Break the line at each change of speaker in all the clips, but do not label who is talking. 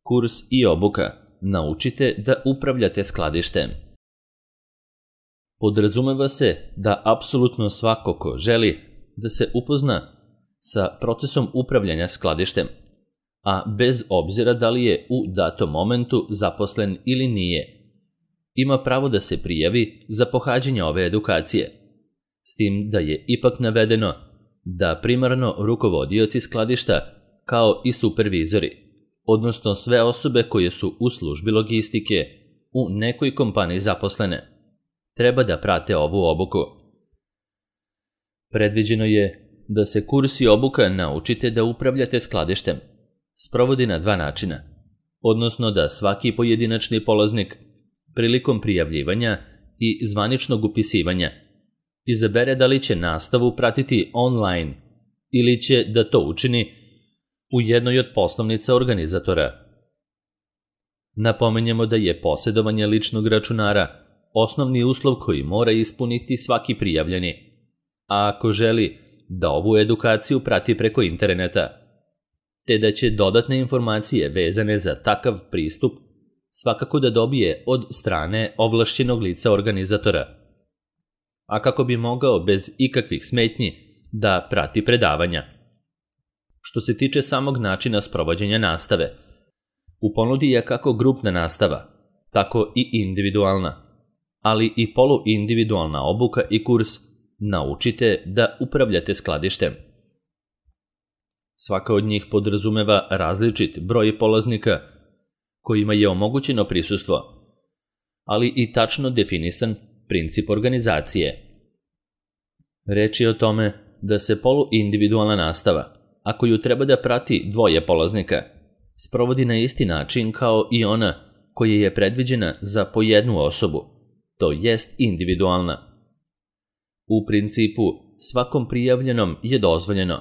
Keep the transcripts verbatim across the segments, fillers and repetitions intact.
Kurs i obuka Naučite da upravljate skladištem. Podrazumeva se da apsolutno svako ko želi da se upozna sa procesom upravljanja skladištem, a bez obzira da li je u datom momentu zaposlen ili nije, ima pravo da se prijavi za pohađanje ove edukacije, s tim da je ipak navedeno da primarno rukovodioci skladišta kao i supervizori, odnosno sve osobe koje su u službi logistike u nekoj kompaniji zaposlene, treba da prate ovu obuku. Predviđeno je da se kurs i obuka Naučite da upravljate skladištem sprovodi na dva načina, odnosno da svaki pojedinačni polaznik prilikom prijavljivanja i zvaničnog upisivanja izabere da li će nastavu pratiti online ili će da to učini u jednoj od poslovnica organizatora. Napomenjemo da je posjedovanje ličnog računara osnovni uslov koji mora ispuniti svaki prijavljeni, a ako želi da ovu edukaciju prati preko interneta, te da će dodatne informacije vezane za takav pristup svakako da dobije od strane ovlašćenog lica organizatora, a kako bi mogao bez ikakvih smetnji da prati predavanja. Što se tiče samog načina sprovođenja nastave, u ponudi je kako grupna nastava, tako i individualna, ali i poluindividualna obuka i kurs Naučite da upravljate skladištem. Svaka od njih podrazumeva različit broj polaznika kojima je omogućeno prisustvo, ali i tačno definisan princip organizacije. Reč je o tome da se poluindividualna nastava, a koju treba da prati dvoje polaznika, sprovodi na isti način kao i ona koja je predviđena za po jednu osobu, to jest individualna. U principu, svakom prijavljenom je dozvoljeno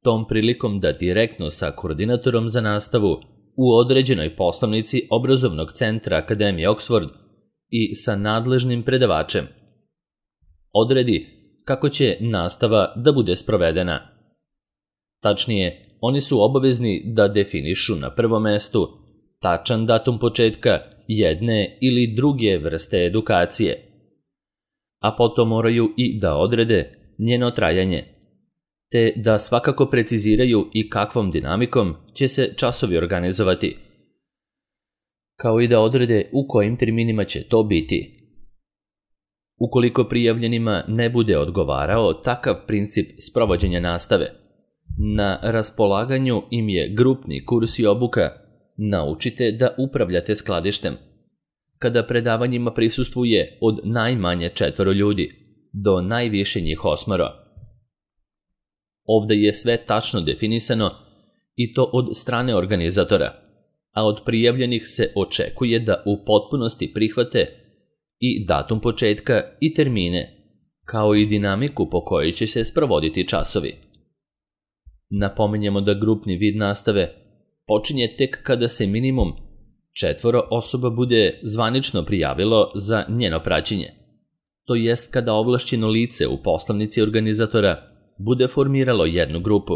tom prilikom da direktno sa koordinatorom za nastavu u određenoj poslovnici obrazovnog centra Akademije Oxford i sa nadležnim predavačem odredi kako će nastava da bude sprovedena. Tačnije, oni su obavezni da definišu na prvom mestu tačan datum početka jedne ili druge vrste edukacije, a potom moraju i da odrede njeno trajanje, te da svakako preciziraju i kakvom dinamikom će se časovi organizovati, kao i da odrede u kojim terminima će to biti. Ukoliko prijavljenima ne bude odgovarao takav princip sprovođenja nastave, na raspolaganju im je grupni kurs i obuka Naučite da upravljate skladištem, kada predavanjima prisustvuje od najmanje četvoro ljudi do najviše njih osmoro. Ovde je sve tačno definisano i to od strane organizatora, a od prijavljenih se očekuje da u potpunosti prihvate i datum početka i termine, kao i dinamiku po kojoj će se sprovoditi časovi. Napominjemo da grupni vid nastave počinje tek kada se minimum četvoro osoba bude zvanično prijavilo za njeno praćenje, to jest kada ovlašćeno lice u poslovnici organizatora bude formiralo jednu grupu,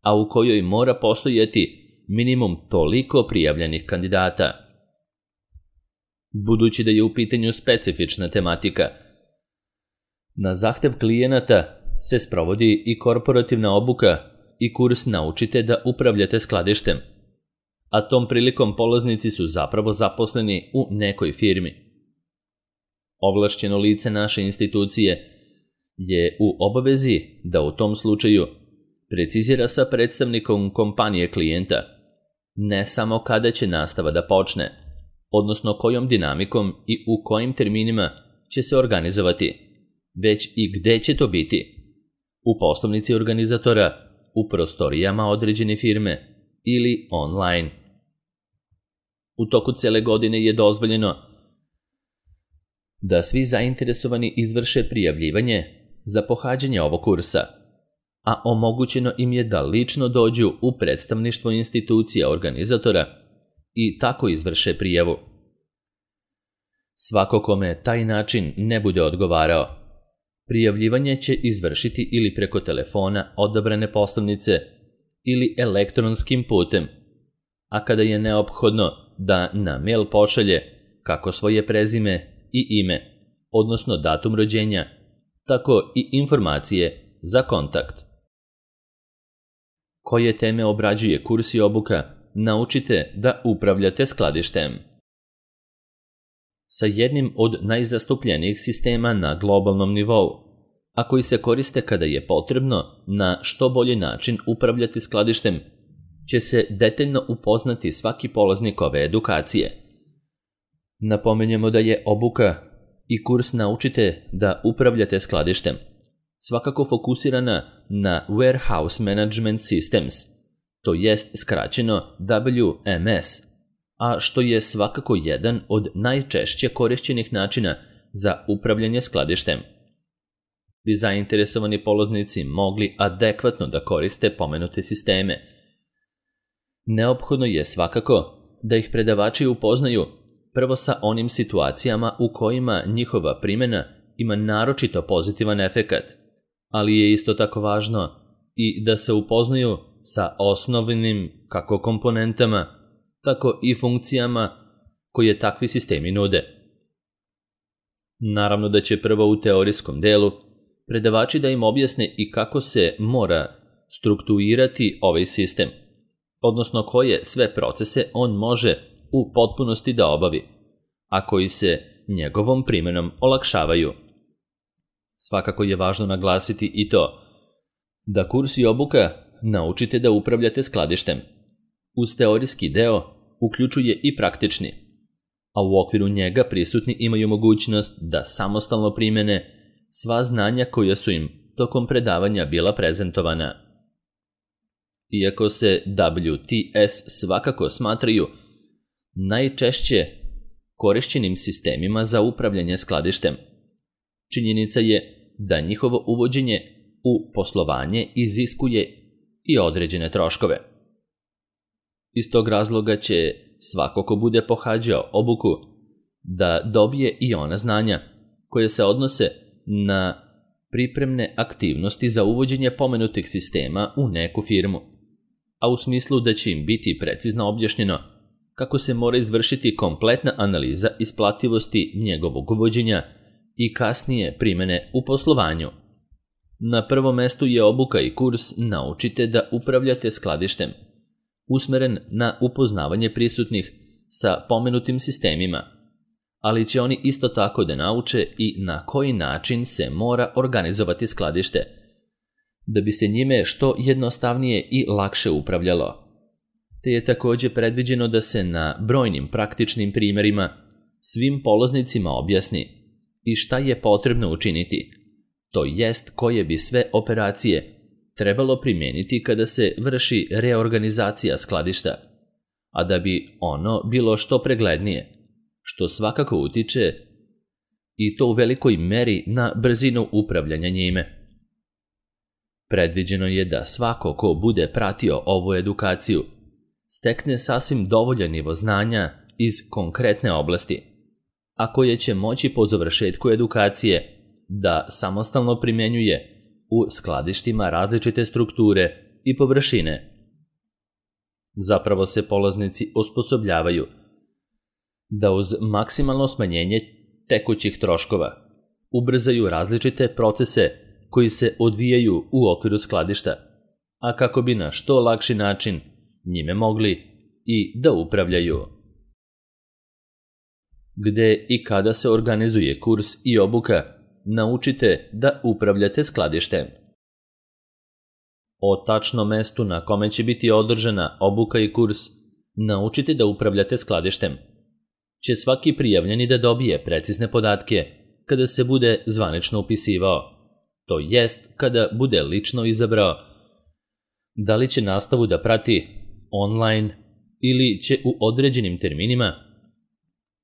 a u kojoj mora postojati minimum toliko prijavljenih kandidata. Budući da je u pitanju specifična tematika, na zahtev klijenata se sprovodi i korporativna obuka i kurs Naučite da upravljate skladištem, a tom prilikom polaznici su zapravo zaposleni u nekoj firmi. Ovlašćeno lice naše institucije je u obavezi da u tom slučaju precizira sa predstavnikom kompanije klijenta ne samo kada će nastava da počne, odnosno kojom dinamikom i u kojim terminima će se organizovati, već i gde će to biti, u poslovnici organizatora, u prostorijama određene firme ili online. U toku cele godine je dozvoljeno da svi zainteresovani izvrše prijavljivanje za pohađanje ovog kursa, a omogućeno im je da lično dođu u predstavništvo institucija organizatora i tako izvrše prijavu. Svako kome taj način ne bude odgovarao, prijavljivanje će izvršiti ili preko telefona odabrane poslovnice ili elektronskim putem, a kada je neophodno da na mail pošalje kako svoje prezime i ime, odnosno datum rođenja, tako i informacije za kontakt. Koje teme obrađuje kurs i obuka, naučite da upravljate skladištem. Sa jednim od najzastupljenijih sistema na globalnom nivou, a koji se koriste kada je potrebno na što bolji način upravljati skladištem, će se detaljno upoznati svaki polaznik ove edukacije. Napomenjemo da je obuka i kurs Naučite da upravljate skladištem svakako fokusirana na Warehouse Management Systems, to jest skraćeno W M S, a što je svakako jedan od najčešće korišćenih načina za upravljanje skladištem. Bi zainteresovani polaznici mogli adekvatno da koriste pomenute sisteme. Neophodno je svakako da ih predavači upoznaju prvo sa onim situacijama u kojima njihova primjena ima naročito pozitivan efekat, ali je isto tako važno i da se upoznaju sa osnovnim kako komponentama, tako i funkcijama koje takvi sistemi nude. Naravno da će prvo u teorijskom delu predavači da im objasne i kako se mora strukturirati ovaj sistem, odnosno koje sve procese on može u potpunosti da obavi, a koji se njegovom primjenom olakšavaju. Svakako je važno naglasiti i to da kurs i obuka Naučite da upravljate skladištem uz teorijski deo uključuje i praktični, a u okviru njega prisutni imaju mogućnost da samostalno primene sva znanja koja su im tokom predavanja bila prezentovana. Iako se W T S svakako smatraju najčešće korišćenim sistemima za upravljanje skladištem, činjenica je da njihovo uvođenje u poslovanje iziskuje i određene troškove. Iz tog razloga će svako ko bude pohađao obuku da dobije i ona znanja koje se odnose na pripremne aktivnosti za uvođenje pomenutih sistema u neku firmu, a u smislu da će im biti precizno objašnjeno kako se mora izvršiti kompletna analiza isplativosti njegovog uvođenja i kasnije primjene u poslovanju. Na prvom mestu je obuka i kurs Naučite da upravljate skladištem, usmeren na upoznavanje prisutnih sa pomenutim sistemima, ali će oni isto tako da nauče i na koji način se mora organizovati skladište, da bi se njime što jednostavnije i lakše upravljalo. Te je također predviđeno da se na brojnim praktičnim primjerima svim polaznicima objasni i šta je potrebno učiniti, to jest koje bi sve operacije trebalo primijeniti kada se vrši reorganizacija skladišta, a da bi ono bilo što preglednije, što svakako utiče i to u velikoj meri na brzinu upravljanja njime. Predviđeno je da svako ko bude pratio ovu edukaciju stekne sasvim dovoljan nivo znanja iz konkretne oblasti, a koje će moći po završetku edukacije da samostalno primjenjuje u skladištima različite strukture i površine. Zapravo se polaznici osposobljavaju da uz maksimalno smanjenje tekućih troškova ubrzaju različite procese koji se odvijaju u okviru skladišta, a kako bi na što lakši način njime mogli i da upravljaju. Gde i kada se organizuje kurs i obuka Naučite da upravljate skladištem. O tačnom mestu na kome će biti održana obuka i kurs Naučite da upravljate skladištem će svaki prijavljeni da dobije precizne podatke kada se bude zvanično upisivao, to jest kada bude lično izabrao da li će nastavu da prati online ili će u određenim terminima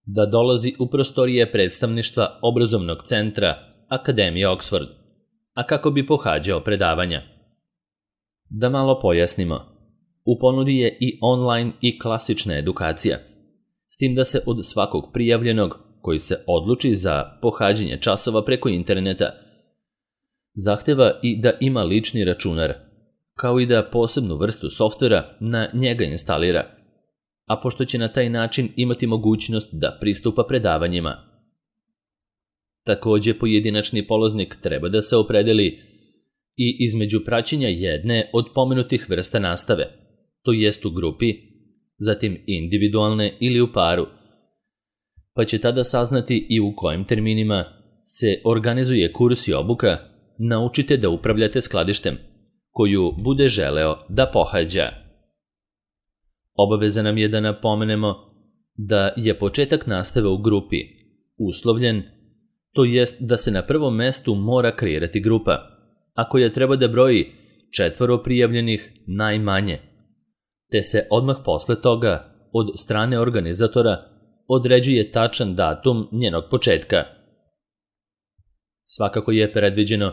da dolazi u prostorije predstavništva obrazovnog centra Akademije Oxford, a kako bi pohađao predavanja. Da malo pojasnimo, u ponudi je i online i klasična edukacija, s tim da se od svakog prijavljenog koji se odluči za pohađanje časova preko interneta zahteva i da ima lični računar, kao i da posebnu vrstu softvera na njega instalira, a pošto će na taj način imati mogućnost da pristupa predavanjima. Takođe, pojedinačni polaznik treba da se opredeli i između praćenja jedne od pomenutih vrsta nastave, to jest u grupi, zatim individualne ili u paru, pa će tada saznati i u kojim terminima se organizuje kurs i obuka Naučite da upravljate skladištem, koju bude želeo da pohađa. Obaveza nam je da napomenemo da je početak nastave u grupi uslovljen, to jest da se na prvom mestu mora kreirati grupa, a koja treba da broji četvoro prijavljenih najmanje, te se odmah posle toga od strane organizatora određuje tačan datum njenog početka. Svakako je predviđeno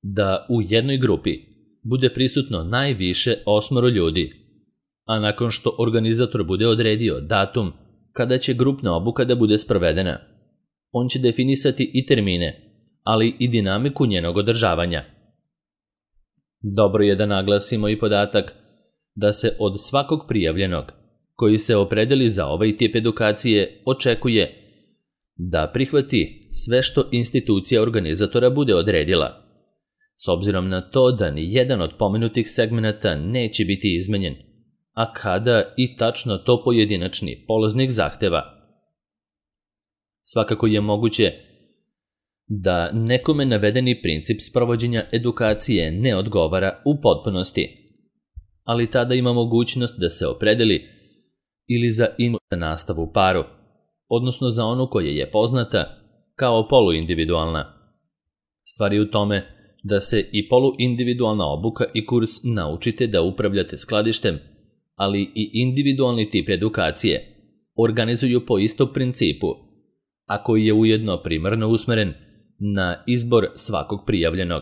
da u jednoj grupi bude prisutno najviše osmoro ljudi, a nakon što organizator bude odredio datum kada će grupna obuka da bude sprovedena, on će definisati i termine, ali i dinamiku njenog održavanja. Dobro je da naglasimo i podatak da se od svakog prijavljenog koji se opredeli za ovaj tip edukacije očekuje da prihvati sve što institucija organizatora bude odredila, s obzirom na to da ni jedan od pomenutih segmenata neće biti izmenjen, a kada i tačno to pojedinačni polaznik zahteva. Svakako je moguće da nekome navedeni princip sprovođenja edukacije ne odgovara u potpunosti, ali tada ima mogućnost da se opredeli ili za individualnu nastavu u paru, odnosno za onu koja je poznata kao poluindividualna. Stvar je u tome da se i poluindividualna obuka i kurs Naučite da upravljate skladištem, ali i individualni tip edukacije organizuju po istom principu, a koji je ujedno primarno usmeren na izbor svakog prijavljenog.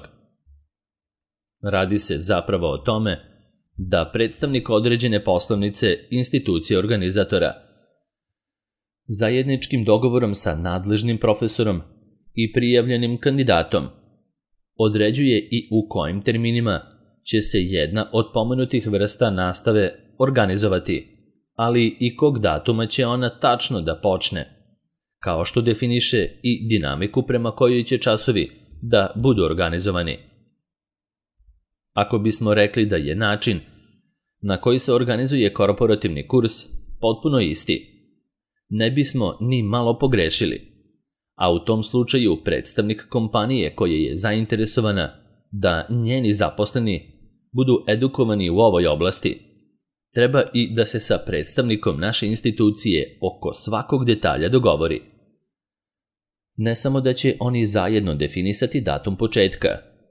Radi se zapravo o tome da predstavnik određene poslovnice institucije organizatora zajedničkim dogovorom sa nadležnim profesorom i prijavljenim kandidatom određuje i u kojim terminima će se jedna od pomenutih vrsta nastave organizovati, ali i kog datuma će ona tačno da počne, kao što definiše i dinamiku prema kojoj će časovi da budu organizovani. Ako bismo rekli da je način na koji se organizuje korporativni kurs potpuno isti, ne bismo ni malo pogrešili, a u tom slučaju predstavnik kompanije koja je zainteresovana da njeni zaposleni budu edukovani u ovoj oblasti, treba i da se sa predstavnikom naše institucije oko svakog detalja dogovori. Ne samo da će oni zajedno definisati datum početka,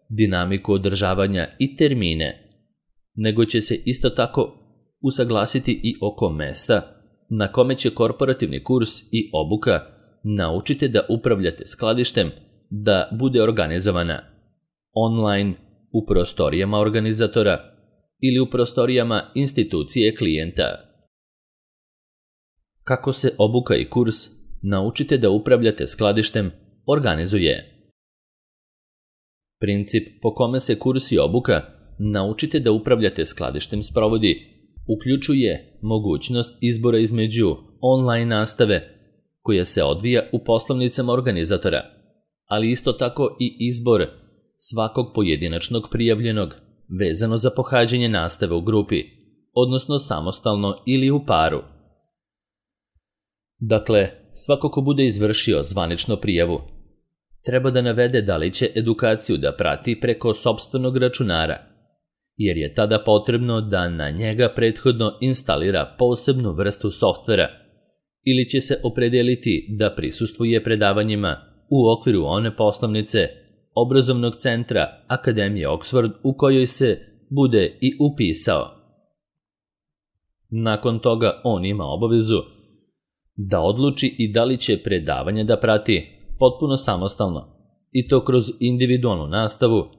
dinamiku održavanja i termine, nego će se isto tako usaglasiti i oko mesta na kome će korporativni kurs i obuka Naučite da upravljate skladištem da bude organizovana online, u prostorijama organizatora ili u prostorijama institucije klijenta. Kako se obuka i kurs Naučite da upravljate skladištem organizuje? Princip po kome se kurs i obuka Naučite da upravljate skladištem sprovodi uključuje mogućnost izbora između online nastave koja se odvija u poslovnicama organizatora, ali isto tako i izbor svakog pojedinačnog prijavljenog vezano za pohađanje nastave u grupi, odnosno samostalno ili u paru. Dakle, svako ko bude izvršio zvaničnu prijavu treba da navede da li će edukaciju da prati preko sopstvenog računara, jer je tada potrebno da na njega prethodno instalira posebnu vrstu softvera, ili će se opredeliti da prisustvuje predavanjima u okviru one poslovnice obrazovnog centra Akademije Oxford u kojoj se bude i upisao. Nakon toga on ima obavezu da odluči i da li će predavanje da prati potpuno samostalno, i to kroz individualnu nastavu,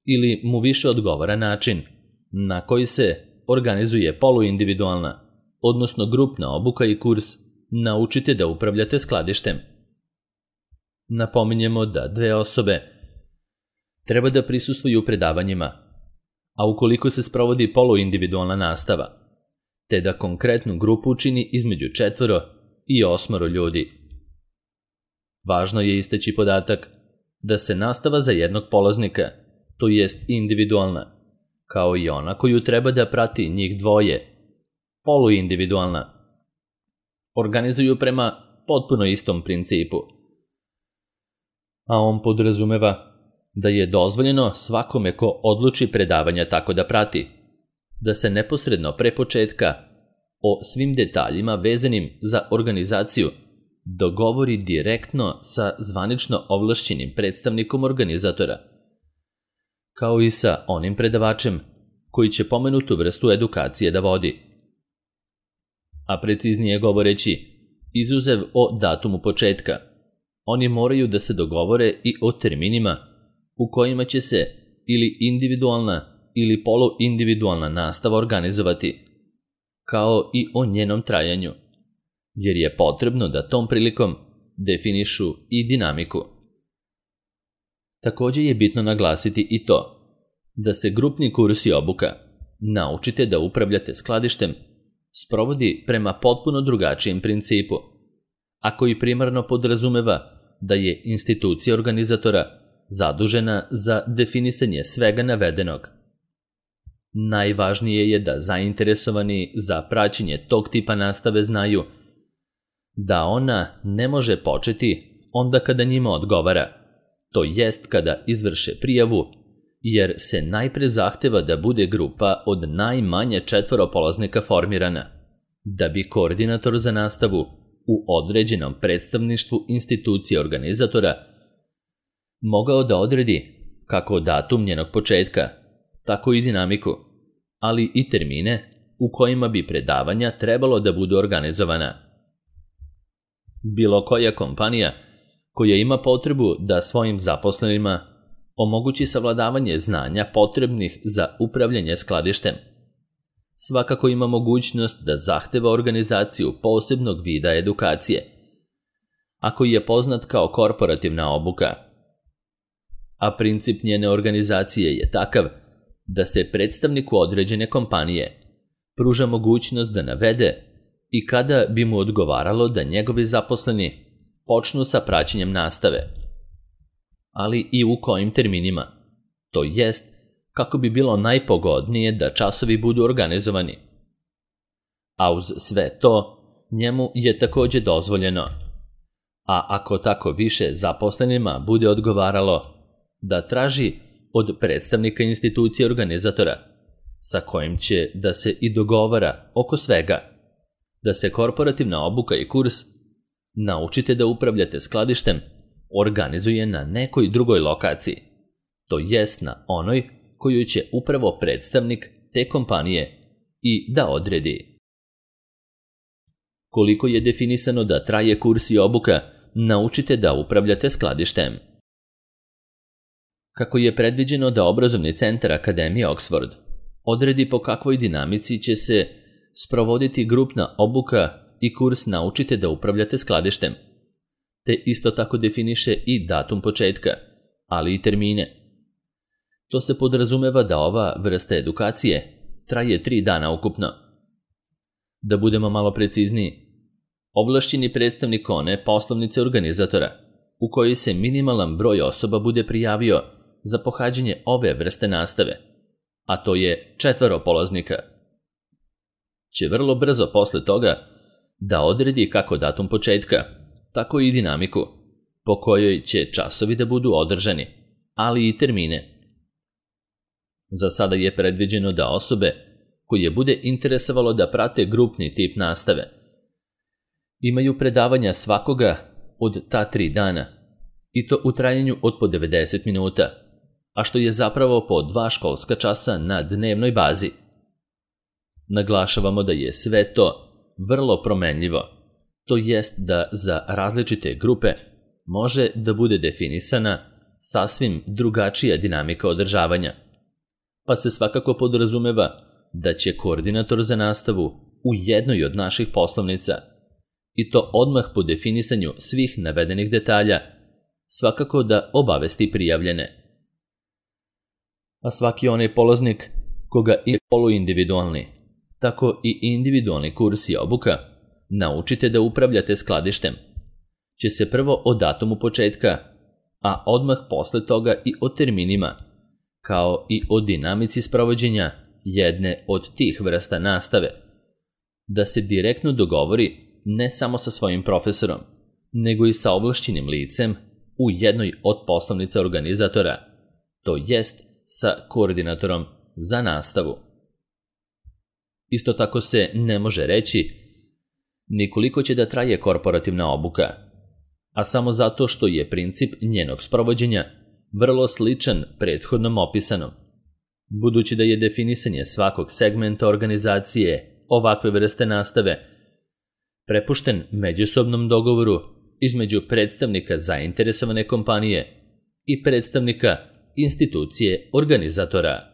ili mu više odgovara način na koji se organizuje poluindividualna, odnosno grupna obuka i kurs Naučite da upravljate skladištem. Napominjemo da dve osobe treba da prisustvuju predavanjima, a ukoliko se sprovodi poluindividualna nastava, te da konkretnu grupu čini između četvoro i osmoro ljudi. Važno je istaći podatak da se nastava za jednog polaznika, to jest individualna, kao i ona koju treba da prati njih dvoje, poluindividualna, organizuju prema potpuno istom principu. A on podrazumeva da je dozvoljeno svakome ko odluči predavanja tako da prati, da se neposredno pre početka o svim detaljima vezanim za organizaciju dogovori direktno sa zvanično ovlašćenim predstavnikom organizatora, kao i sa onim predavačem koji će pomenutu vrstu edukacije da vodi. A preciznije govoreći, izuzev o datumu početka, oni moraju da se dogovore i o terminima u kojima će se ili individualna ili poluindividualna nastava organizovati, kao i o njenom trajanju, jer je potrebno da tom prilikom definišu i dinamiku. Također je bitno naglasiti i to da se grupni kurs i obuka Naučite da upravljate skladištem sprovodi prema potpuno drugačijem principu, a koji primarno podrazumeva da je institucija organizatora zadužena za definisanje svega navedenog. Najvažnije je da zainteresovani za praćenje tog tipa nastave znaju da ona ne može početi onda kada njima odgovara, to jest kada izvrše prijavu, jer se najpre zahteva da bude grupa od najmanje četvoro polaznika formirana, da bi koordinator za nastavu u određenom predstavništvu institucije organizatora mogao da odredi kako datum njenog početka, tako i dinamiku, ali i termine u kojima bi predavanja trebalo da budu organizovana. Bilo koja kompanija koja ima potrebu da svojim zaposlenima omogući savladavanje znanja potrebnih za upravljanje skladištem, svakako ima mogućnost da zahteva organizaciju posebnog vida edukacije, a koji je poznat kao korporativna obuka. A princip njene organizacije je takav da se predstavniku određene kompanije pruža mogućnost da navede i kada bi mu odgovaralo da njegovi zaposleni počnu sa praćenjem nastave, ali i u kojim terminima, to jest kako bi bilo najpogodnije da časovi budu organizovani. A uz sve to, njemu je također dozvoljeno, a ako tako više zaposlenima bude odgovaralo, da traži od predstavnika institucije organizatora, sa kojim će da se i dogovara oko svega, da se korporativna obuka i kurs Naučite da upravljate skladištem organizuje na nekoj drugoj lokaciji, to jest na onoj koju će upravo predstavnik te kompanije i da odredi. Koliko je definisano da traje kurs i obuka Naučite da upravljate skladištem? Kako je predviđeno da obrazovni centar Akademije Oxford odredi po kakvoj dinamici će se sprovoditi grupna obuka i kurs Naučite da upravljate skladištem, te isto tako definiše i datum početka, ali i termine. To se podrazumeva da ova vrsta edukacije traje tri dana ukupno. Da budemo malo precizniji, ovlašćeni predstavnik one poslovnice organizatora u kojoj se minimalan broj osoba bude prijavio za pohađanje ove vrste nastave, a to je četvoro polaznika, će vrlo brzo posle toga da odredi kako datum početka, tako i dinamiku po kojoj će časovi da budu održani, ali i termine. Za sada je predviđeno da osobe koje bude interesovalo da prate grupni tip nastave imaju predavanja svakoga od ta tri dana, i to u trajanju od po devedeset minuta, a što je zapravo po dva školska časa na dnevnoj bazi. Naglašavamo da je sve to vrlo promenljivo, to jest da za različite grupe može da bude definisana sasvim drugačija dinamika održavanja, pa se svakako podrazumeva da će koordinator za nastavu u jednoj od naših poslovnica, i to odmah po definisanju svih navedenih detalja, svakako da obavesti prijavljene. A svaki onaj polaznik koga je poluindividualni, tako i individualni kurs i obuka Naučite da upravljate skladištem će se prvo o datumu početka, a odmah posle toga i o terminima, kao i o dinamici sprovođenja jedne od tih vrsta nastave, da se direktno dogovori ne samo sa svojim profesorom, nego i sa ovlašćenim licem u jednoj od poslovnica organizatora, to jest sa koordinatorom za nastavu. Isto tako se ne može reći ni koliko će da traje korporativna obuka, a samo zato što je princip njenog sprovođenja vrlo sličan prethodnom opisanom, budući da je definisanje svakog segmenta organizacije ovakve vrste nastave prepušten međusobnom dogovoru između predstavnika zainteresovane kompanije i predstavnika institucije organizatora.